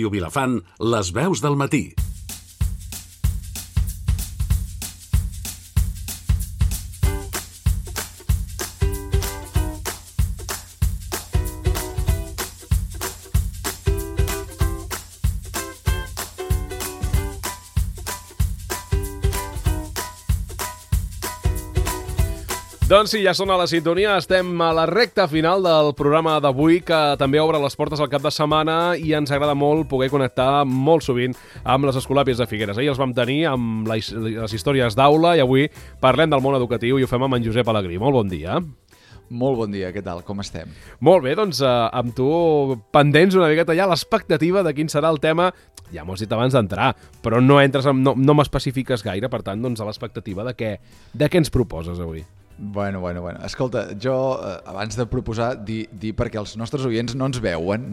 Ràdio Vilafant, les veus del matí. Doncs sí, ja són a la sintonia, estem a la recta final del programa d'avui, que també obre les portes al cap de setmana i ens agrada molt poder connectar molt sovint amb les Escolàpies de Figueres. Ahir els vam tenir amb les històries d'aula i avui parlem del món educatiu i ho fem amb en Josep Alegrí. Molt bon dia. Molt bon dia, què tal? Com estem? Molt bé, doncs amb tu pendents una miqueta ja l'expectativa de quin serà el tema. Ja m'ho has dit abans d'entrar, però no m'especifiques gaire, per tant, doncs a l'expectativa de què ens proposes avui. Bueno. Escolta, jo, abans de proposar, dir perquè els nostres oients no ens veuen,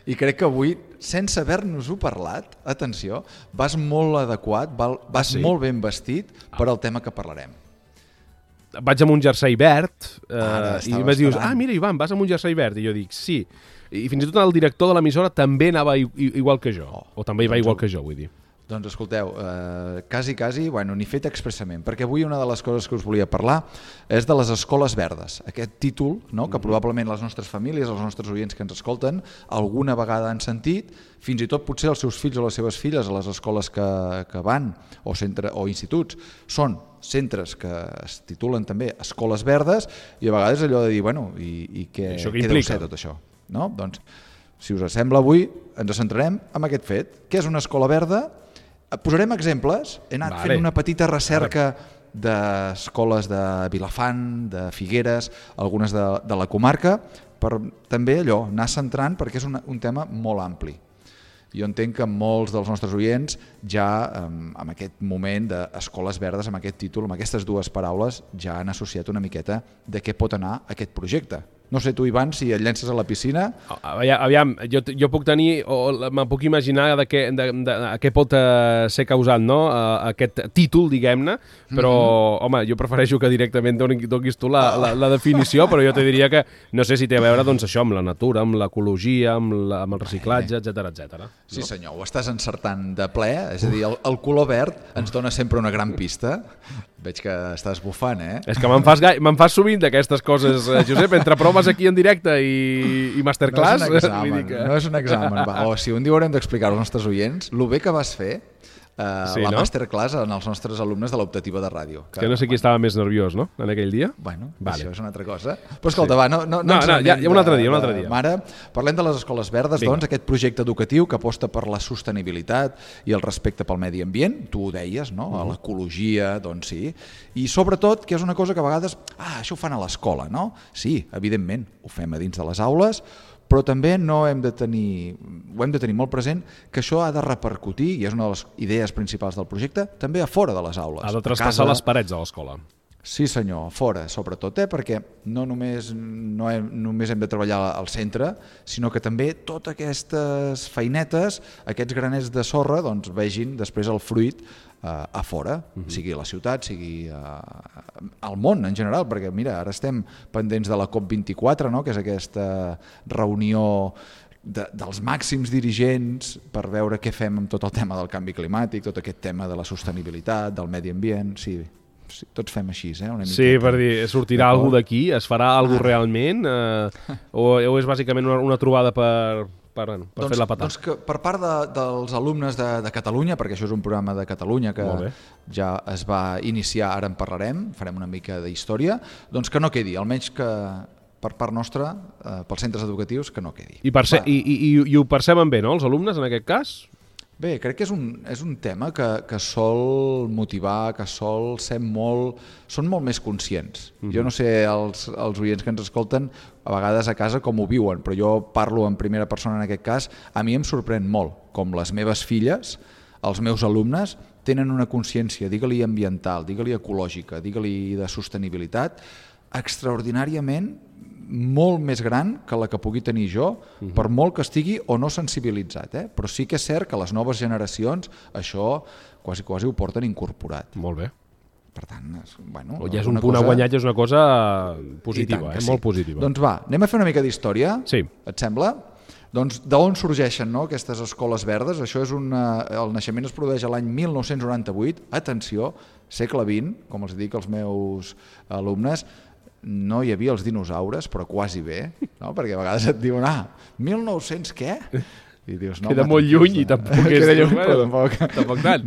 i crec que avui, sense haver-nos-ho parlat, atenció, vas molt adequat, vas molt ben vestit per al tema que parlarem. Vaig amb un jersei verd i em dius, mira, Ivan, vas amb un jersei verd, i jo dic, sí. I fins i tot el director de l'emissora també anava igual que jo, o també hi va igual que jo, vull dir. Doncs escolteu, quasi, ni fet expressament, perquè avui una de les coses que us volia parlar és de les escoles verdes. Aquest títol, no, que probablement les nostres famílies, els nostres oients que ens escolten, alguna vegada han sentit, fins i tot potser els seus fills o les seves filles a les escoles que van, o instituts, són centres que es titulen també escoles verdes, i a vegades allò de dir, i què deu ser tot això? No? Doncs, si us sembla, avui ens centrarem en aquest fet. Què és una escola verda? Posarem exemples. He anat fent una petita recerca d'escoles de Vilafant, de Figueres, algunes de la comarca, per també allò, anar centrant, perquè és un tema molt ampli. Jo entenc que molts dels nostres oients ja en aquest moment d'escoles verdes, amb aquest títol, amb aquestes dues paraules, ja han associat una miqueta de què pot anar aquest projecte. No sé tu, Ivan, si et llences a la piscina... Aviam, jo puc tenir, o me puc imaginar de què pot ser causant, no? Aquest títol, diguem-ne, però, home, jo prefereixo que directament donis tu la definició, però jo te diria que no sé si té a veure, doncs, això, amb la natura, amb l'ecologia, amb el reciclatge, etc. Sí, senyor, ho estàs encertant de ple, és a dir, el color verd ens dona sempre una gran pista. Veig que estàs bufant, eh? És que me'n fas sovint d'aquestes coses, Josep, entre proves aquí en directe i masterclass. No és un examen. O si un dia haurem d'explicar als nostres oients el bé que vas fer masterclass en els nostres alumnes de l'optativa de ràdio. Que no sé qui estava més nerviós, no?, en aquell dia. Això és una altra cosa. Però escolta, no, un altre dia. Mare, parlem de les escoles verdes, doncs, aquest projecte educatiu que aposta per la sostenibilitat i el respecte pel medi ambient, tu ho deies, no?, a l'ecologia, doncs sí, i sobretot, que és una cosa que a vegades, això ho fan a l'escola, no? Sí, evidentment, ho fem a dins de les aules, però també ho hem de tenir molt present que això ha de repercutir, i és una de les idees principals del projecte, també a fora de les aules. Ha de traspassar les parets de l'escola. Sí senyor, fora sobretot, perquè no només hem de treballar al centre, sinó que també totes aquestes feinetes, aquests granets de sorra, doncs vegin després el fruit a fora, sigui a la ciutat, sigui al món en general, perquè mira, ara estem pendents de la COP24, no?, que és aquesta reunió dels màxims dirigents per veure què fem amb tot el tema del canvi climàtic, tot aquest tema de la sostenibilitat, del medi ambient, sí, tots fem així, una miqueta. Sí, per dir, sortirà alguna d'aquí? Es farà alguna realment? O és bàsicament una trobada per fer la patada? Doncs que per part dels alumnes de Catalunya, perquè això és un programa de Catalunya que ja es va iniciar, ara en parlarem, farem una mica d'història, doncs que no quedi, almenys que per part nostra, pels centres educatius, que no quedi. I ho perceben bé, no?, els alumnes, en aquest cas? Bé, crec que és un tema que sol motivar, que sol ser són molt més conscients. Jo no sé els oients que ens escolten a vegades a casa com ho viuen, però jo parlo en primera persona en aquest cas. A mi em sorprèn molt com les meves filles, els meus alumnes, tenen una consciència, digue-li ambiental, digue-li ecològica, digue-li de sostenibilitat, extraordinàriament molt més gran que la que pugui tenir jo, per molt que estigui o no sensibilitzat, però sí que és cert que les noves generacions això quasi ho porten incorporat. Molt bé. Per tant, ja és un punt a guanyar, ja és una cosa positiva, molt positiva. Doncs va, anem a fer una mica d'història, sí. Et sembla? Doncs d'on sorgeixen, no, aquestes escoles verdes? Això és el naixement es produeix a l'any 1998. Atenció, segle XX, com els dic als meus alumnes, no hi havia els dinosaures, però quasi bé, no? Perquè a vegades et diuen, 1900 què? I dius, no, queda molt lluny i tampoc és... Queda lluny, però tampoc tant.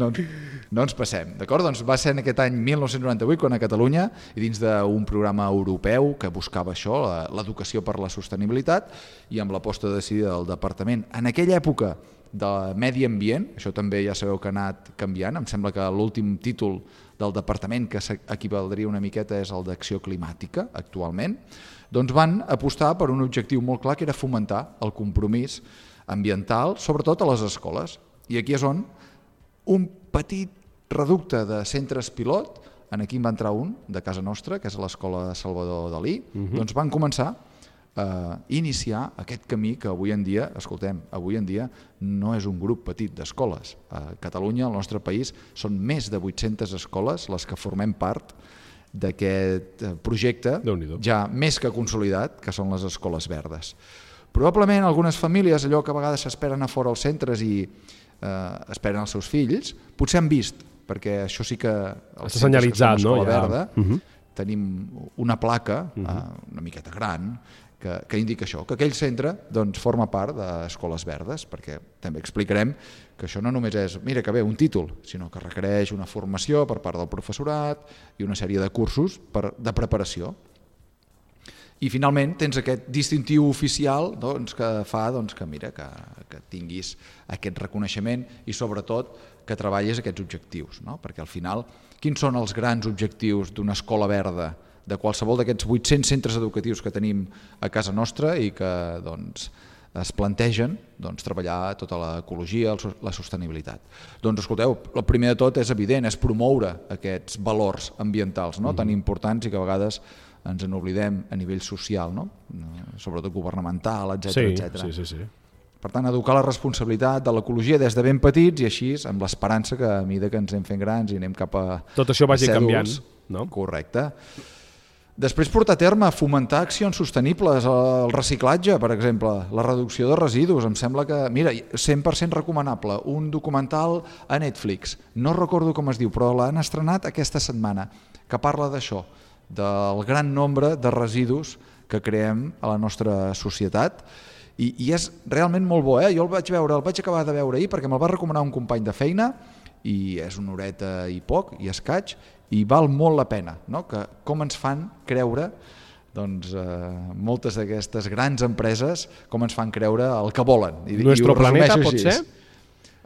No ens passem, d'acord? Doncs va ser en aquest any 1998 quan a Catalunya, i dins d'un programa europeu que buscava això, l'educació per la sostenibilitat, i amb l'aposta decidida del departament en aquella època de medi ambient, això també ja sabeu que ha anat canviant, em sembla que l'últim títol del departament que s'equivaldria una miqueta és el d'acció climàtica actualment, doncs van apostar per un objectiu molt clar que era fomentar el compromís ambiental, sobretot a les escoles. I aquí és on un petit reducte de centres pilot, aquí en va entrar un de casa nostra, que és l'Escola Salvador Dalí, doncs van començar a iniciar aquest camí que avui en dia, escoltem, avui en dia no és un grup petit d'escoles. A Catalunya, al nostre país, són més de 800 escoles les que formem part d'aquest projecte ja més que consolidat, que són les escoles verdes. Probablement algunes famílies, allò que a vegades s'esperen a fora als centres i esperen els seus fills, potser han vist, perquè això sí que els està senyalitzat, no? Verda, tenim una placa una miqueta gran que indica això, que aquell centre doncs, forma part d'escoles verdes, perquè també explicarem que això no només és, mira que bé, un títol, sinó que requereix una formació per part del professorat i una sèrie de cursos de preparació. I finalment tens aquest distintiu oficial doncs, que fa doncs, que, mira, que tinguis aquest reconeixement i sobretot que treballis aquests objectius, no? Perquè al final, quins són els grans objectius d'una escola verda, de qualsevol d'aquests 800 centres educatius que tenim a casa nostra i que doncs, es plantegen doncs, treballar tota l'ecologia, la sostenibilitat. Doncs escolteu, el primer de tot és evident, és promoure aquests valors ambientals no? Tan importants i que a vegades ens n'oblidem a nivell social, no? Sobretot governamental, etc. Sí. Per tant, educar la responsabilitat de l'ecologia des de ben petits i així, amb l'esperança que a mesura que ens anem fent grans i anem cap a tot això vagi cèduls, canviant, no? Correcte. Després portar a terme, fomentar accions sostenibles, el reciclatge, per exemple, la reducció de residus, em sembla que, mira, 100% recomanable, un documental a Netflix, no recordo com es diu, però l'han estrenat aquesta setmana, que parla d'això, del gran nombre de residus que creem a la nostra societat i és realment molt bo, jo el vaig acabar de veure ahir perquè me'l va recomanar un company de feina i és una horeta i poc i escaig i val molt la pena, no? Que com ens fan creure doncs, moltes d'aquestes grans empreses com ens fan creure el que volen. Nuestro planeta pot ser?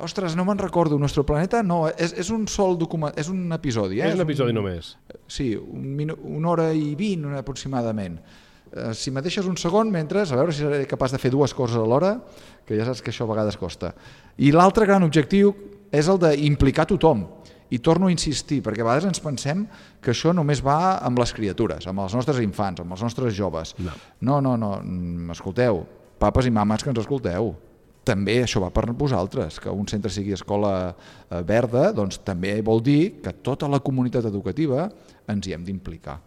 Ostres, no me'n recordo, Nuestro planeta no, és un sol document, és un episodi. És un episodi només. Sí, una hora i 20 aproximadament. Si me deixes un segon, mentre, a veure si seré capaç de fer dues coses alhora, que ja saps que això a vegades costa. I l'altre gran objectiu és el d'implicar tothom. I torno a insistir, perquè a vegades ens pensem que això només va amb les criatures, amb els nostres infants, amb els nostres joves. No, escolteu, papes i mames que ens escolteu. També això va per vosaltres, que un centre sigui escola verda, doncs també vol dir que tota la comunitat educativa ens hi hem d'implicar.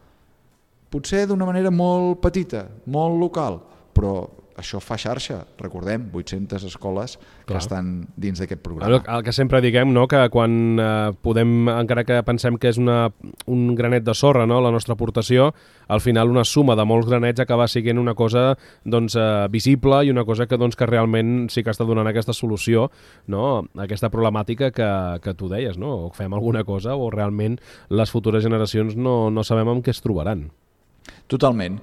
Potser d'una manera molt petita, molt local, però això fa xarxa, recordem, 800 escoles que estan dins d'aquest programa. El que sempre diguem, no? Que quan podem, encara que pensem que és un granet de sorra, no? La nostra aportació, al final una suma de molts granets acaba sent una cosa doncs, visible i una cosa que, doncs, que realment sí que està donant aquesta solució, no? Aquesta problemàtica que tu deies, no? O fem alguna cosa o realment les futures generacions no sabem amb què es trobaran. Totalment.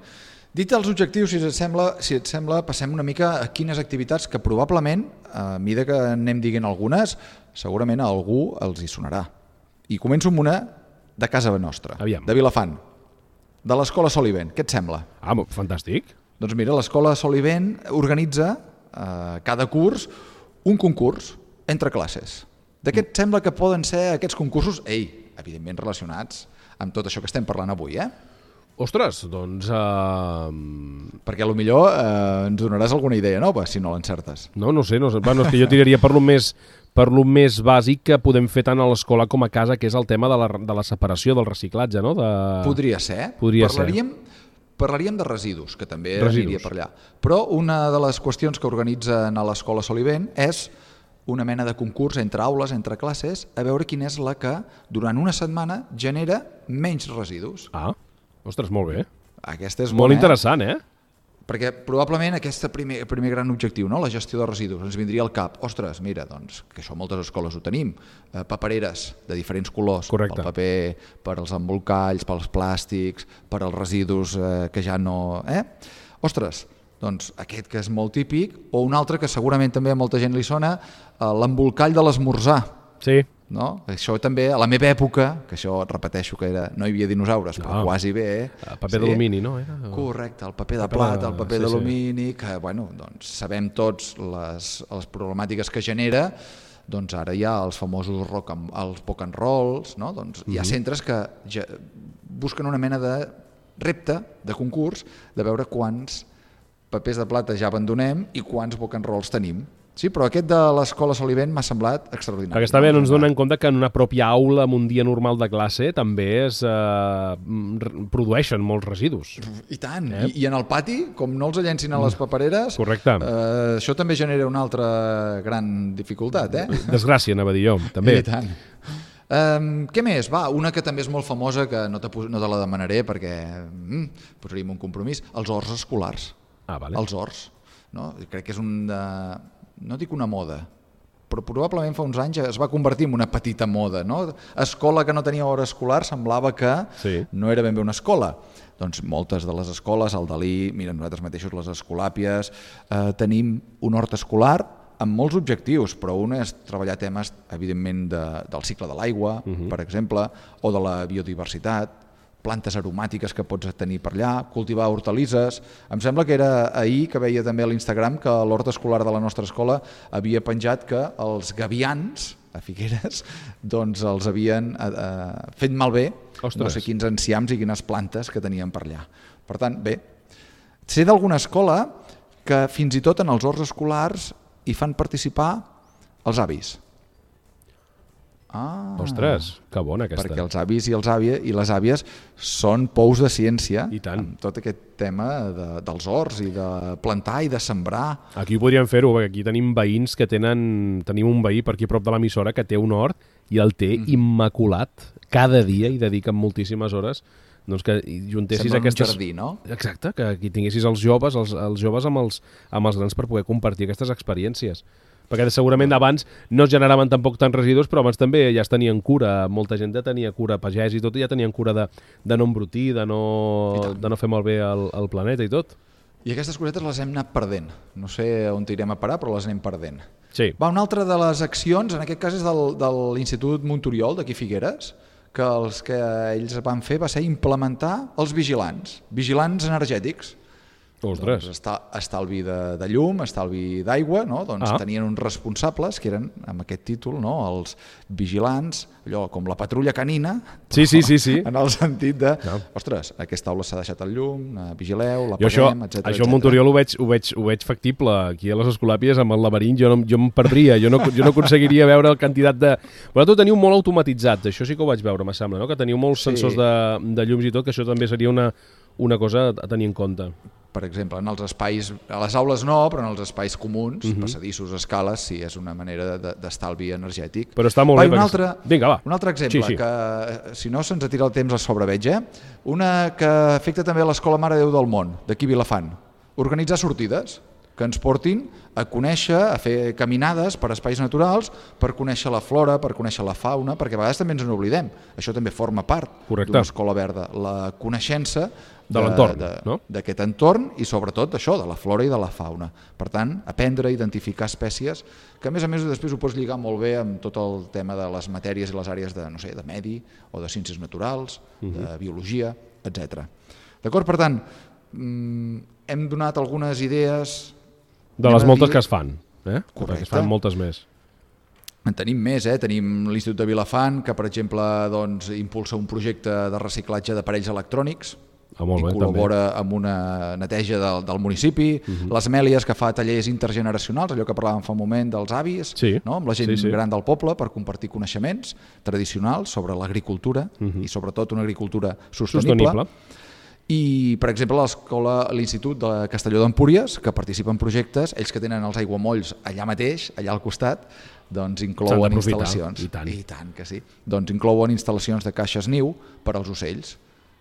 Dit els objectius, si et sembla, passem una mica a quines activitats que probablement, a mesura que anem dient algunes, segurament a algú els hi sonarà. I començo amb una de casa nostra, de Vilafant, de l'Escola Solivent. Què et sembla? Fantàstic. Doncs mira, l'Escola Solivent organitza cada curs un concurs entre classes. De què et sembla que poden ser aquests concursos? Evidentment relacionats amb tot això que estem parlant avui, Ostres, doncs... Perquè potser ens donaràs alguna idea nova, si no l'encertes. No sé. Bueno, és que jo tiraria per lo més bàsic que podem fer tant a l'escola com a casa, que és el tema de la separació, del reciclatge, no? Podria ser. Parlaríem Parlaríem de residus, que també Residus. aniria per allà. Però una de les qüestions que organitzen a l'Escola Solivent és una mena de concurs entre aules, entre classes, a veure quina és la que durant una setmana genera menys residus. Ah, ostres, molt bé. Aquesta és Molt bona, interessant, eh? Perquè probablement aquest primer gran objectiu, no? La gestió de residus, ens vindria al cap. Ostres, mira, doncs, que això moltes escoles ho tenim. Papereres de diferents colors. Correcte. Pel paper, per als embolcalls, pels plàstics, per als residus que ja no... Ostres, doncs aquest que és molt típic, o un altre que segurament també a molta gent li sona, l'embolcall de l'esmorzar. Sí. No? Això també, a la meva època, que això repeteixo que no hi havia dinosaures, però quasi bé. Paper d'alumini, no? Correcte, el paper de plata, el paper d'alumini, que bueno, doncs, sabem tots les problemàtiques que genera, doncs ara hi ha els famosos els rock and rolls, no? Doncs hi ha centres que busquen una mena de repte, de concurs, de veure quants papers de plata ja abandonem i quants rock and rolls tenim. Sí, però aquest de l'Escola Solivent m'ha semblat extraordinari. Perquè està bé, no ens donem compte que en una pròpia aula, en un dia normal de classe, també es produeixen molts residus. I tant, i en el pati, com no els llencin a les papereres, correcte. Això també genera una altra gran dificultat. Desgràcia, anava a dir jo, també. I tant. Què més? Va, una que també és molt famosa, que no te la demanaré perquè posaríem un compromís, els horts escolars. Ah, vale. Els horts. No? Crec que és no dic una moda, però probablement fa uns anys es va convertir en una petita moda. No? Escola que no tenia hora escolar semblava que no era ben bé una escola. Doncs moltes de les escoles, el Dalí, mira, nosaltres mateixos les Escolàpies, tenim un hort escolar amb molts objectius, però un és treballar temes, evidentment, del cicle de l'aigua, per exemple, o de la biodiversitat, plantes aromàtiques que pots tenir per allà, cultivar hortalisses. Em sembla que era ahir que veia també a l'Instagram que l'hort escolar de la nostra escola havia penjat que els gavians a Figueres doncs els havien fet malbé no sé quins enciams i quines plantes que tenien per allà. Per tant, bé, sé d'alguna escola que fins i tot en els horts escolars hi fan participar els avis. Ostres, que bona aquesta. Perquè els avis i les àvies són pous de ciència amb tot aquest tema dels horts i de plantar i de sembrar. Aquí podríem fer-ho, perquè aquí tenim veïns que tenim un veí per aquí a prop de l'emissora que té un hort i el té immaculat. Cada dia hi dediquen moltíssimes hores. Doncs que juntessis aquestes... Sembla un jardí, no? Exacte, que aquí tinguessis els joves amb els grans per poder compartir aquestes experiències. Perquè segurament abans no es generaven tampoc tants residus, però abans també ja es tenien cura, molta gent ja tenia cura, pagès i tot, ja tenien cura de no embrutir, de no fer malbé el planeta i tot. I aquestes cosetes les hem anat perdent. No sé on irem a parar, però les anem perdent. Sí. Una altra de les accions, en aquest cas és de l'Institut Monturiol d'aquí Figueres, que els que ells van fer va ser implementar els vigilants energètics. Ostres. Doncs estalvi de llum, estalvi d'aigua, no? Doncs tenien uns responsables que eren, amb aquest títol, no? Els vigilants, allò com la patrulla canina, sí. en el sentit de, ostres, aquesta aula s'ha deixat el llum, vigileu, l'apaguem, etc. Això al Monturiol ho veig factible. Aquí a les Escolàpies, amb el laberint, jo em perdria, jo no aconseguiria veure el quantitat de... Vosaltres teniu molt automatitzat, això sí que ho vaig veure, me sembla, no? Que teniu molts sensors de llums i tot, que això també seria una cosa a tenir en compte. Per exemple, en els espais, a les aules no, però en els espais comuns, passadissos, escales, sí, és una manera d'estalvi energètic. Però està molt bé. Vinga, va. Un altre exemple, que si no se'ns tira el temps a sobre, veig, una que afecta també a l'Escola Mare de Déu del Món, d'aquí Vilafant. Organitzar sortides que ens portin a conèixer, a fer caminades per espais naturals, per conèixer la flora, per conèixer la fauna, perquè a vegades també ens n'oblidem. Això també forma part d'una escola verda, la coneixença de l'entorn, no? D'aquest entorn i sobretot això, de la flora i de la fauna. Per tant, aprendre a identificar espècies que a més després ho pots lligar molt bé amb tot el tema de les matèries i les àrees de, no sé, de medi o de ciències naturals, de biologia, etc. D'acord? Per tant, hem donat algunes idees de les moltes que es fan, Correcte. Perquè es fan moltes més. En tenim més, tenim l'Institut de Vilafant, que per exemple impulsa un projecte de reciclatge d'aparells electrònics i col·labora amb una neteja del municipi, les Mèlies, que fa tallers intergeneracionals, allò que parlàvem fa un moment dels avis, amb la gent gran del poble per compartir coneixements tradicionals sobre l'agricultura i sobretot una agricultura sostenible. I, per exemple, l'Institut de Castelló d'Empúries, que participa en projectes, ells que tenen els aiguamolls allà mateix, allà al costat, doncs inclouen instal·lacions. I tant que sí. Doncs inclouen instal·lacions de caixes niu per als ocells.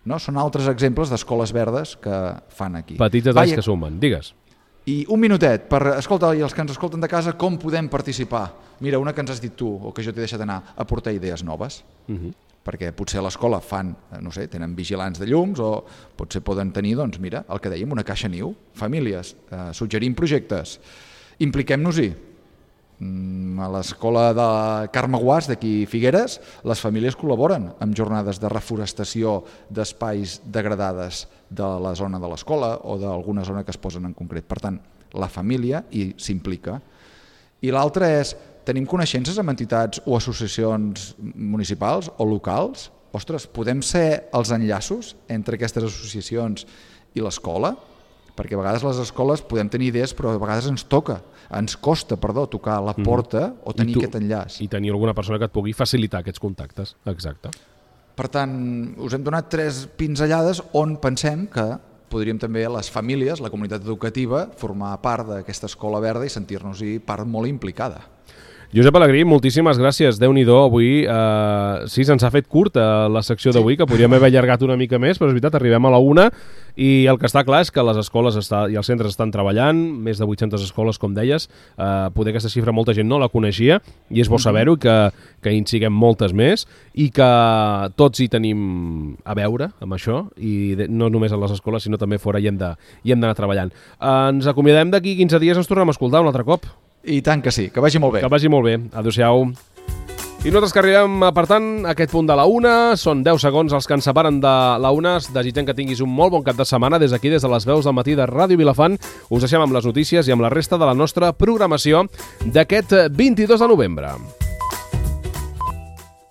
No? Són altres exemples d'escoles verdes que fan aquí. Petits detalls que sumen. Digues. I un minutet per, escolta, i els que ens escolten de casa, com podem participar? Mira, una que ens has dit tu, o que jo t'he deixat anar, aportar idees noves. Perquè potser a l'escola fan, no sé, tenen vigilants de llums o potser poden tenir, doncs mira, el que dèiem, una caixa niu, famílies, suggerim projectes, impliquem-nos-hi. A l'escola de Carme Guàs d'aquí Figueres, les famílies col·laboren amb jornades de reforestació d'espais degradades de la zona de l'escola o d'alguna zona que es posen en concret. Per tant, la família hi s'implica. I l'altre és, tenim coneixences amb entitats o associacions municipals o locals? Ostres, podem ser els enllaços entre aquestes associacions i l'escola? Perquè a vegades les escoles podem tenir idees, però a vegades ens costa tocar la porta o tenir aquest enllaç. I tenir alguna persona que et pugui facilitar aquests contactes. Exacte. Per tant, us hem donat 3 pinzellades on pensem que podríem també les famílies, la comunitat educativa, formar part d'aquesta escola verda i sentir-nos-hi part molt implicada. Josep Alegrí, moltíssimes gràcies. Déu-n'hi-do, avui sí, se'ns ha fet curt la secció d'avui, que podríem haver allargat una mica més, però és veritat, arribem a la 1 i el que està clar és que les escoles i els centres estan treballant, més de 800 escoles, com deies, poder aquesta xifra molta gent no la coneixia i és bo saber-ho, que hi siguem moltes més i que tots hi tenim a veure amb això i no només a les escoles sinó també fora i hem d'anar treballant. Ens acomiadem d'aquí 15 dies, ens tornem a escoltar un altre cop. I tant que sí, que vagi molt bé. Que vagi molt bé. Adéu-siau. I nosaltres que arribem apartant aquest punt de la 1, són 10 segons els que ens separen de la 1, desitgem que tinguis un molt bon cap de setmana des d'aquí, des de les veus del matí de Ràdio Vilafant. Us deixem amb les notícies i amb la resta de la nostra programació d'aquest 22 de novembre.